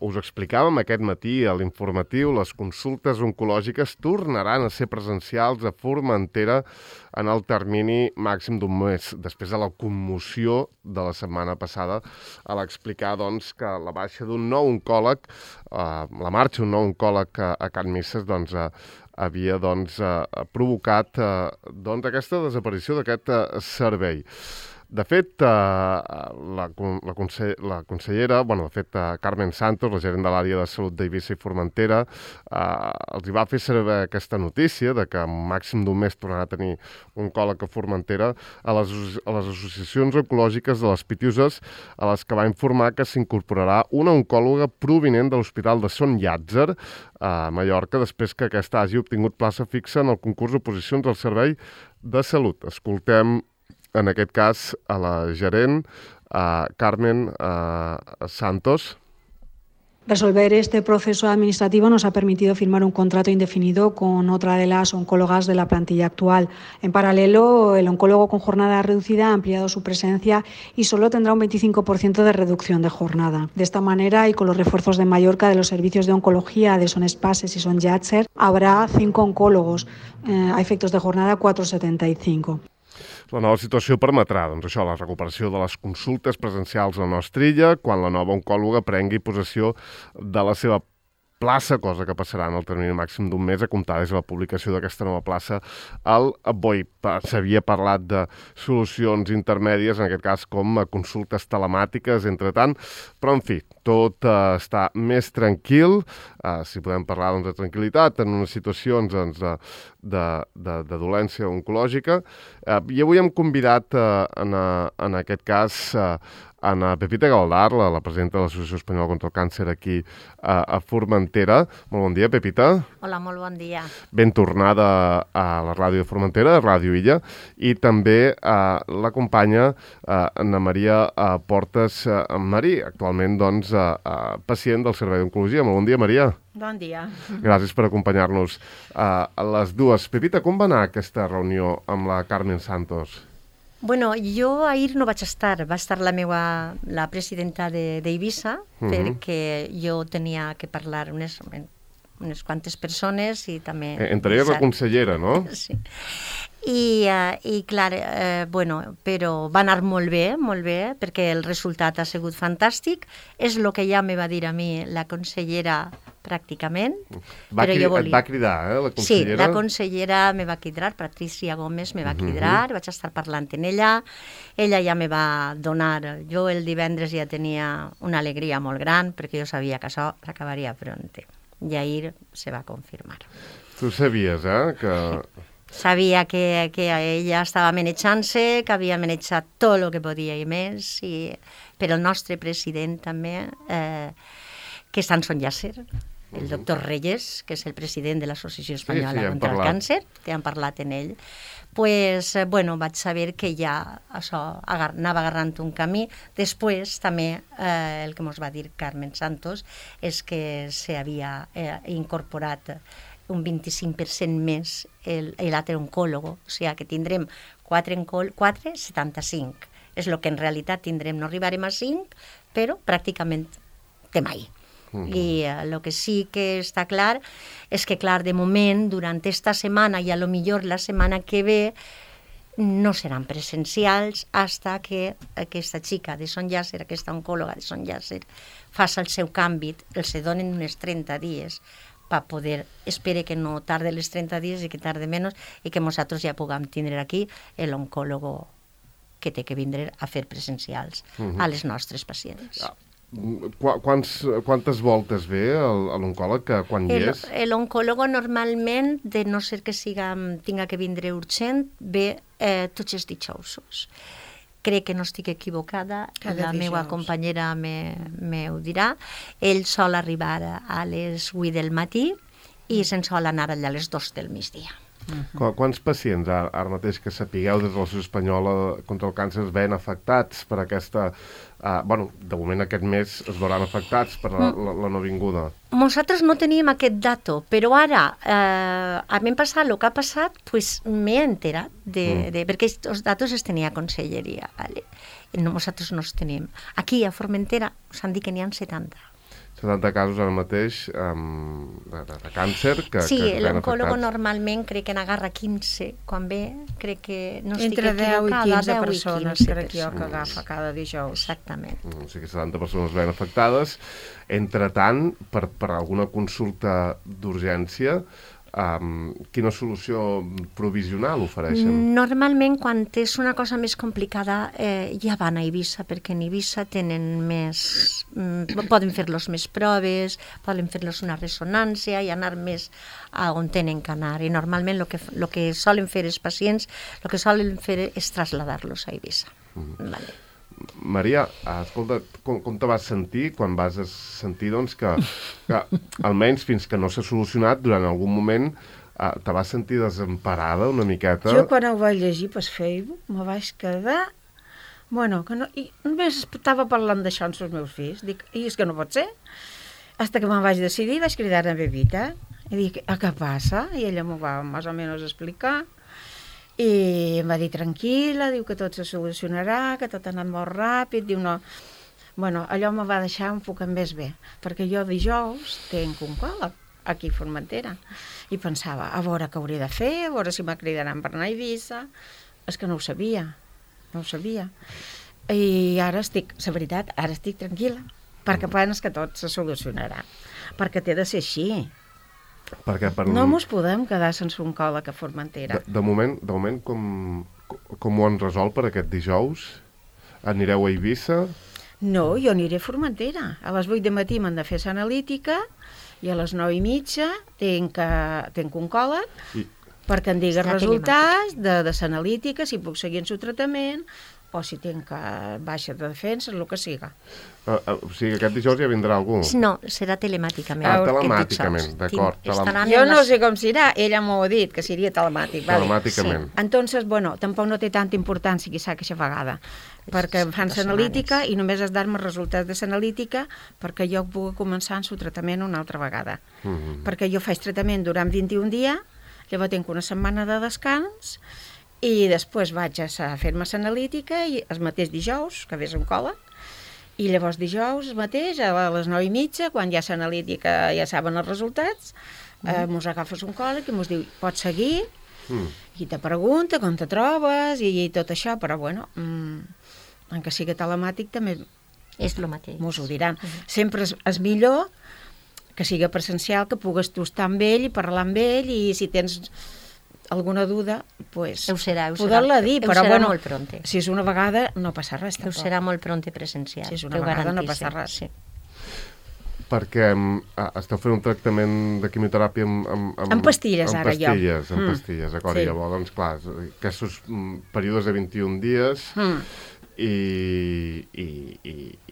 us explicàvem aquest matí a l'informatiu, les consultes oncològiques tornaran a ser presencials a Formentera en el termini màxim d'un mes, després de la commoció de la setmana passada a l'explicar doncs, que la baixa d'un nou oncòleg, la marxa d'un nou oncòleg a Can Misses, havia provocat aquesta desaparició d'aquest servei. De fet, la consellera, Carmen Santos, la gerent de l'àrea de salut d'Eivissa i Formentera, els hi va fer saber aquesta notícia de que en màxim d'un mes tornarà a tenir un oncòleg a Formentera a les associacions oncològiques de les Pitiuses, a les que va informar que s'incorporarà una oncòloga provinent de l'Hospital de Son Llàtzer, a Mallorca, després que aquesta hagi obtingut plaça fixa en el concurs d'oposicions al Servei de Salut. Escoltem en aquest cas a la gerent, Carmen Santos. Resolver este proceso administrativo nos ha permitido firmar un contrato indefinido con otra de las oncólogas de la plantilla actual. En paralelo, el oncólogo con jornada reducida ha ampliado su presencia y solo tendrá un 25% de reducción de jornada. De esta manera, y con los refuerzos de Mallorca de los servicios de oncología de Son Espases y Son Llàtzer, habrá 5 oncólogos, a efectos de jornada 4,75. La nova situació permetrà, la recuperació de les consultes presencials a la nostra illa quan la nova oncòloga prengui possessió de la seva plaça, cosa que passarà en el termini màxim d'un mes a comptar des de la publicació d'aquesta nova plaça al BOI. S'havia parlat de solucions intermèdies, en aquest cas com a consultes telemàtiques, entre tant, però en fi, tot està més tranquil, si podem parlar de tranquil·litat en unes situacions de dolència oncològica. I avui hem convidat, en aquest cas, Ana Pepita Galdar, la presidenta de l'Associació Espanyola contra el Càncer aquí a Formentera. Molt bon dia, Pepita. Hola, molt bon dia. Ben tornada a la ràdio de Formentera, a Ràdio Illa, i també l'acompanya Ana Maria Portes Marí, actualment pacient del Servei d'Oncologia. Molt bon dia, Maria. Bon dia. Gràcies per acompanyar-nos a les dues. Pepita, com va anar aquesta reunió amb la Carmen Santos? Bueno, jo ahir no vaig estar, va estar la presidenta d'Eivissa, perquè jo tenia que parlar unes quantes persones i també... Entre elles la consellera, no? Sí. I clar, però va anar molt bé, perquè el resultat ha sigut fantàstic. És el que ja me va dir a mi la consellera pràcticament. Et va cridar, la consellera? Sí, la consellera me va cridar, Patricia Gómez me va cridar, vaig estar parlant amb ella ja me va donar, jo el divendres ja tenia una alegria molt gran, perquè jo sabia que això s'acabaria pronte, i ahir se va confirmar. Tu sabies, que... Sabia que ella estava manejant-se, que havia manejat tot el que podia i més, però el nostre president també, que està en Son Llàtzer, el doctor Reyes, que és el president de l'Associació Espanyola contra el Càncer, que han parlat en ell, vaig saber que ja això anava agarrant un camí. Després també el que ens va dir Carmen Santos és que s'havia incorporat un 25% més l'altre oncòlogo, o sigui que tindrem 4,75. És el que en realitat tindrem, no arribarem a 5, però pràcticament de mai. I el que sí que està clar és que, clar, de moment, durant esta setmana i a lo millor la setmana que ve, no seran presencials hasta que aquesta xica de Son Llàtzer, aquesta oncòloga de Son Llàtzer, faci el seu canvi, els donen uns 30 dies per poder, espere que no tarde els 30 dies i que tarde menys i que nosaltres ja puguem tindre aquí l'oncòlogo que té que vindre a fer presencials a les nostres pacients. Quantes voltes ve l'oncòleg quan hi és? L'oncòlogo normalment, de no ser que tinga que vindre urgent, ve tots els dijous. Crec que no estic equivocada, la meva companyera me ho dirà. Ell sol arribar a les 8 del matí i se'n sol anar allà a les 2 del migdia. Quants pacients ara mateix que sapigueu des de l'Associació Espanyola contra el Càncer es veien afectats per aquesta... de moment aquest mes es veuran afectats per la no vinguda. Nosaltres no teníem aquest dato, però ara, a mi em passat el que ha passat, m'he enterat, perquè els datos els tenia conselleria. Nosaltres no els tenim. Aquí a Formentera s'han dit que n'hi ha 70. 70 casos ara mateix de càncer que sí, es veuen l'oncòlogo afectats. normalment crec que n'agarra 15, quan ve, crec que no estic Entre 10 i equivocada, 15 10 i persones 15 crec jo que persones. agafa cada dijous. Exactament. O sigui que 70 persones es veuen afectades. Entre tant, per alguna consulta d'urgència, quina solució provisional ofereixen? Normalment, quan és una cosa més complicada, ja van a Eivissa, perquè en Eivissa tenen més... poden fer-los més proves, poden fer-los una ressonància i anar més a on tenen que anar. I normalment el que solen fer els pacients, el que solen fer és traslladar-los a Eivissa. Vale. Maria, escolta, com te vas sentir quan vas sentir doncs, que almenys fins que no s'ha solucionat, durant algun moment te vas sentir desemparada una miqueta? Jo quan ho vaig llegir per Facebook me vaig quedar... Bueno, que no, i només estava parlant d'això amb els meus fills. Dic, i és que no pot ser. Hasta que me'n vaig decidir, vaig cridar a Bebita i dic, què passa? I ella m'ho va més o menys explicar. I em va dir tranquil·la, diu que tot se solucionarà, que tot ha anat molt ràpid, diu no... Bueno, allò me va deixar un poc més bé, perquè jo dijous tinc un oncòleg aquí a Formentera i pensava, a veure què hauria de fer, a veure si me cridaran per anar a Eivissa. És que no ho sabia, no ho sabia. I ara estic, la veritat, ara estic tranquil·la, perquè penso que tot se solucionarà, perquè té de ser així. Perquè No mos podem quedar sense un oncòleg a Formentera. De moment com ho han resolt per aquest dijous? Anireu a Eivissa? No, jo aniré a Formentera. A les 8 de matí m'han de fer l'analítica i a les 9:30 tinc oncòleg perquè em digui els resultats de l'analítica, si puc seguir en el tractament o si tinc baixa de defensa, el que siga. O sigui, aquest dijous ja vindrà algú? No, serà telemàticament. Telemàticament, d'acord. Jo no sé com serà, ella m'ho ha dit, que seria telemàtic. Telemàticament. Sí. Entonces, bueno, tampoc no té tanta importància quizà aquesta vegada, perquè em fan l'analítica i només has dar-me els resultats de l'analítica perquè jo pugui començar el tractament una altra vegada. Perquè jo faig tractament durant 21 dies, llavors tinc una setmana de descans i després vaig a fer-me l'analítica i el mateix dijous, que ve oncòleg, i llavors dijous mateix, a les 9:30, quan ja l'analítica ja saben els resultats, mos agafes un oncòleg i mos diu, pots seguir? I te pregunta com te trobes i tot això, però bueno, en que sigui telemàtic també és el mateix. Mos ho diran. Sempre és millor que sigui presencial, que pugues tu estar amb ell i parlar amb ell i si tens alguna duda, pues, poder-la dir, però bueno, si és una vegada no passa res. Ho serà molt pronte presencial. Si és una vegada no passa res. Sí. Perquè esteu fent un tractament de quimioteràpia amb pastilles, ara jo. Amb pastilles, d'acord. I llavors, doncs clar, aquests períodes de 21 dies i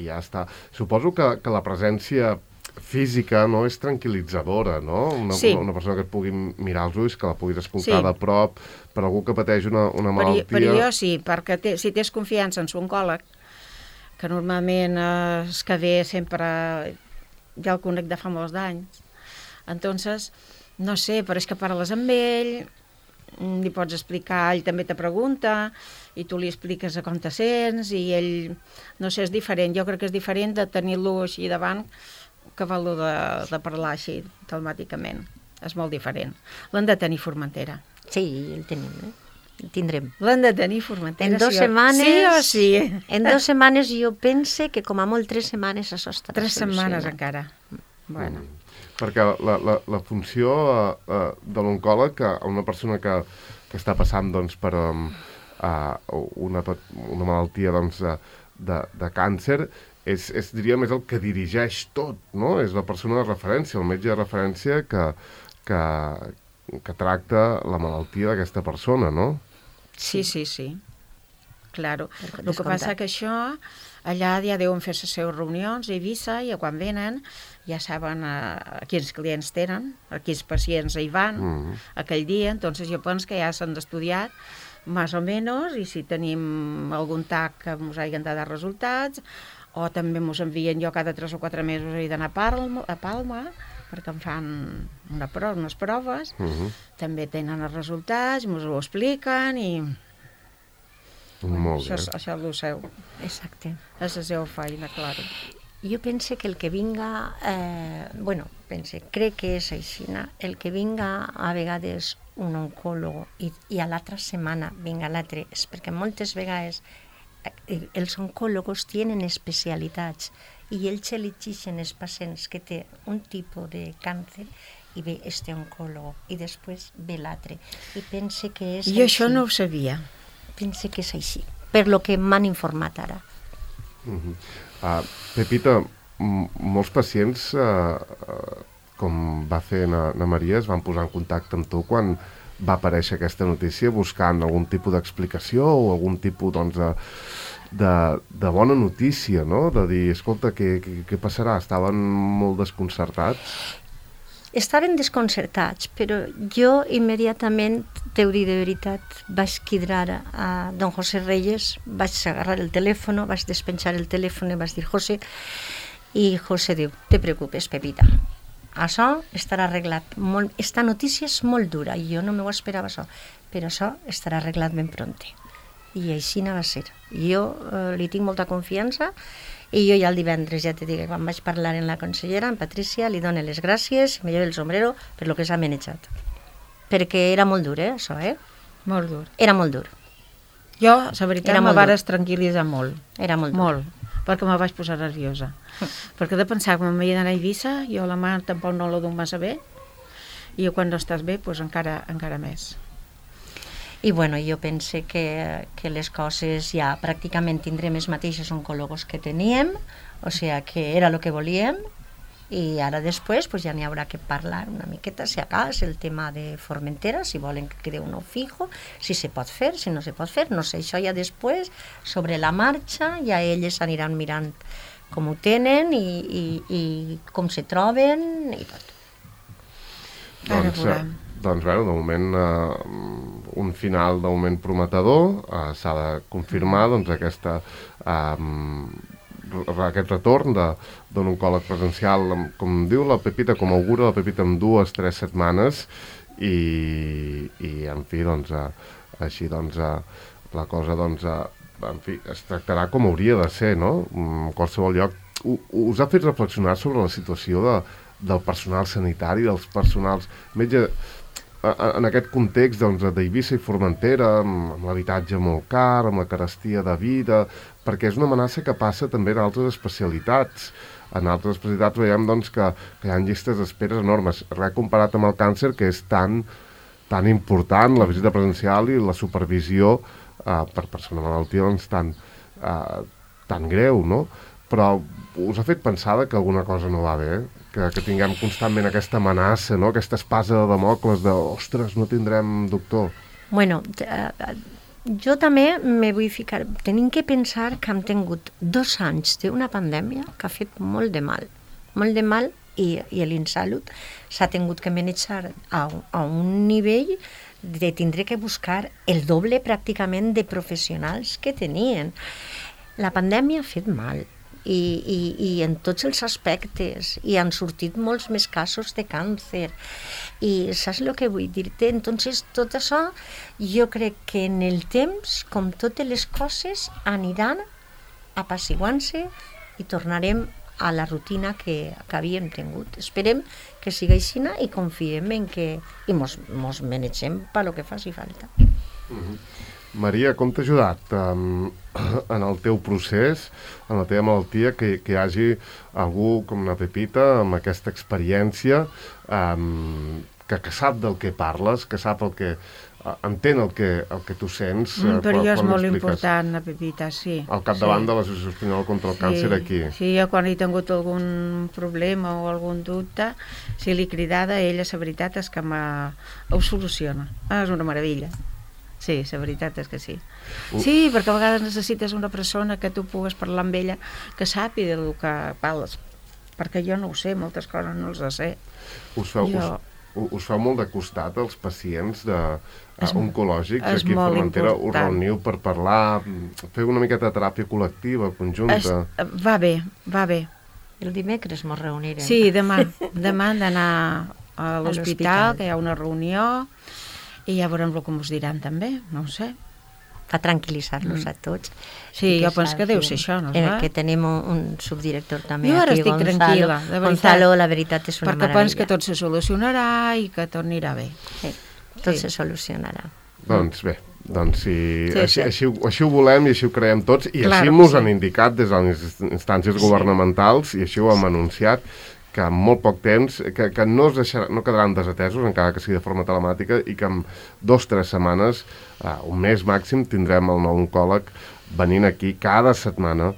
ja està. Suposo que la presència física no és tranquil·litzadora, no? Una persona que et pugui mirar els ulls, que la puguis escoltar de prop, per algú que pateix una malaltia... Per jo sí, perquè si tens confiança en un oncòleg, que normalment és que ve sempre... Ja el conec de fa molts d'anys. Entonces, no sé, però és que parles amb ell, li pots explicar, ell també te pregunta, i tu li expliques com te sents, i ell, no sé, és diferent. Jo crec que és diferent de tenir-lo així davant que val-lo de parlar així telemàticament. És molt diferent. L'hem de tenir Formentera. Sí, el tenim, el tindrem. L'hem de tenir Formentera. En 2 setmanes... Sí o sí. En 2 setmanes jo pense que com a molt 3 setmanes això estarà 3 setmanes encara. Bueno. Perquè la funció de l'oncòleg, una persona que està passant doncs, per una malaltia doncs, de càncer, diria més el que dirigeix tot, no? És la persona de referència, el metge de referència que tracta la malaltia d'aquesta persona, no? Sí. Claro. El que passa que això, allà ja deuen fer les seves reunions a Eivissa i quan venen ja saben quins clients tenen, quins pacients hi van aquell dia, entonces jo penso que ja s'han estudiat més o menys i si tenim algun TAC que ens hagin de dar resultats o també ens envien jo cada 3 o 4 mesos he d'anar a Palma perquè em fan unes proves, també tenen els resultats, ens ho expliquen i molt bé. Això és el seu. Exacte. És la seva feina, clar. Jo pense que el que vinga, crec que és així, el que vinga a vegades un oncòleg i a l'altra setmana vinga l'altre, és perquè moltes vegades els oncòlegs tenen especialitats i ells elegeixen els pacients que té un tipus de càncer i ve este oncòleg i després ve l'altre. I pense que és I això no ho sabia. Pense que és així, per lo que m'han informat ara. Pepita, molts pacients, com va fer na Maria, es van posar en contacte amb tu quan va aparèixer aquesta notícia buscant algun tipus d'explicació o algun tipus de bona notícia, no? De dir, escolta, què passarà? Estaven molt desconcertats? Estaven desconcertats, però jo immediatament, t'ho dic de veritat, vaig cridar a don José Reyes, vaig agarrar el telèfon, vaig despenjar el telèfon i vaig dir José, i José diu, te preocupes, Pepita, això estarà arreglat. Esta notícia és molt dura, i jo no m'ho esperava això, però això estarà arreglat ben pronte. I així no va ser. Jo li tinc molta confiança, i jo ja el divendres, ja t'he dit, quan vaig parlar amb la consellera, amb Patricia, li dono les gràcies, me llevo el sombrero per lo que s'ha manejat. Perquè era molt dur, això, Molt dur. Era molt dur. Jo, la veritat, me vares tranquil·litzar molt. Era molt dur. Molt, perquè me vaig posar nerviosa. Perquè de pensar que m'havia d'anar a Eivissa, jo la mà tampoc no la duc massa bé, i quan no estàs bé, doncs encara més. I bueno, jo pense que les coses ja pràcticament tindrem els mateixos oncòlegs que teníem, o sigui que era el que volíem, i ara després pues, ja n'hi haurà que parlar una miqueta, si acas, el tema de Formentera, si volen que quede uno fijo, si se pot fer, si no se pot fer, no sé, això ja després, sobre la marxa, ja elles aniran mirant com ho tenen i com se troben i tot. Doncs bé, de moment un final de moment prometedor, s'ha de confirmar doncs, aquest retorn d'un oncòleg presencial, com diu la Pepita, com augura la Pepita, en 2-3 setmanes i en fi, doncs, així doncs, la cosa doncs, en fi, es tractarà com hauria de ser, no? En qualsevol lloc. Us ha fet reflexionar sobre la situació del personal sanitari, dels personals metges, en aquest context d'Eivissa i Formentera, amb l'habitatge molt car, amb la carestia de vida, perquè és una amenaça que passa també en altres especialitats. En altres especialitats veiem que hi ha llistes d'espera enormes, res comparat amb el càncer, que és tan important, la visita presencial i la supervisió per persona malaltia tan greu, no? Però us ha fet pensar que alguna cosa no va bé? Que tinguem constantment aquesta amenaça, no? Aquesta espasa de Damocles de, ostres, no tindrem doctor. Bueno, jo també me vull ficar... Tenim que pensar que hem tingut 2 anys d'una pandèmia que ha fet molt de mal, i l'Insalut s'ha tingut que manejar a un nivell de tindre que buscar el doble pràcticament de professionals que tenien. La pandèmia ha fet mal. I en tots els aspectes, i han sortit molts més casos de càncer, i saps el que vull dir-te? Entonces, tot això, jo crec que en el temps, com totes les coses, aniran apaciguant-se i tornarem a la rutina que havíem tingut. Esperem que sigui així i confiem en que i mos manegem per lo que faci falta. Maria, com t'ha ajudat en el teu procés, en la teva malaltia, que hi hagi algú com la Pepita amb aquesta experiència, que sap del que parles, que sap entén el que tu sents. Per jo és molt important, la Pepita, sí. Al capdavant de l'Associació Espanyola contra el Càncer aquí. Sí, jo quan he tingut algun problema o algun dubte, si l'he cridada, ella, la veritat és que ho soluciona. És una meravella. Sí, la veritat és que sí. Sí, perquè a vegades necessites una persona que tu pugues parlar amb ella, que sàpiga del que parles, perquè jo no ho sé, moltes coses no els sé. Us feu molt de costat els pacients oncològics aquí a Formentera? Us reuniu per parlar, feu una miqueta de teràpia col·lectiva, conjunta? Va bé. El dimecres ens reunirem. Sí, demà hem d'anar a l'hospital, que hi ha una reunió, i ja veurem el que ens diran també, no ho sé. per tranquil·litzar-los a tots. Sí, jo penso que deu ser això, no? Que tenim un subdirector també jo ara aquí, estic tranquil·la, de veritat. Gonzalo, la veritat és una perquè meravella. penso que tot se solucionarà i que tot anirà bé. Sí, tot se solucionarà. Doncs bé, doncs Sí, així ho volem i així ho creiem tots, i Clar així que mos sí. han indicat des de les instàncies governamentals, i així ho hem anunciat, que en molt poc temps, que no quedaran desatesos, encara que sigui de forma telemàtica, i que en 2 o 3 setmanes, un mes màxim, tindrem el nou oncòleg venint aquí cada setmana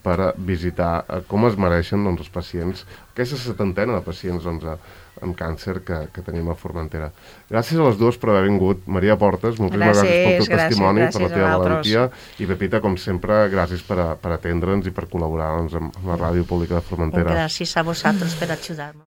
per visitar com es mereixen els pacients, aquesta 70ena de pacients amb càncer que tenim a Formentera. Gràcies a les dues per haver vingut. Maria Portes, moltíssimes gràcies pel teu testimoni, per la teva valentia, i Pepita, com sempre, gràcies per atendre'ns i per col·laborar amb la Ràdio Pública de Formentera. Gràcies a vosaltres per ajudar-me.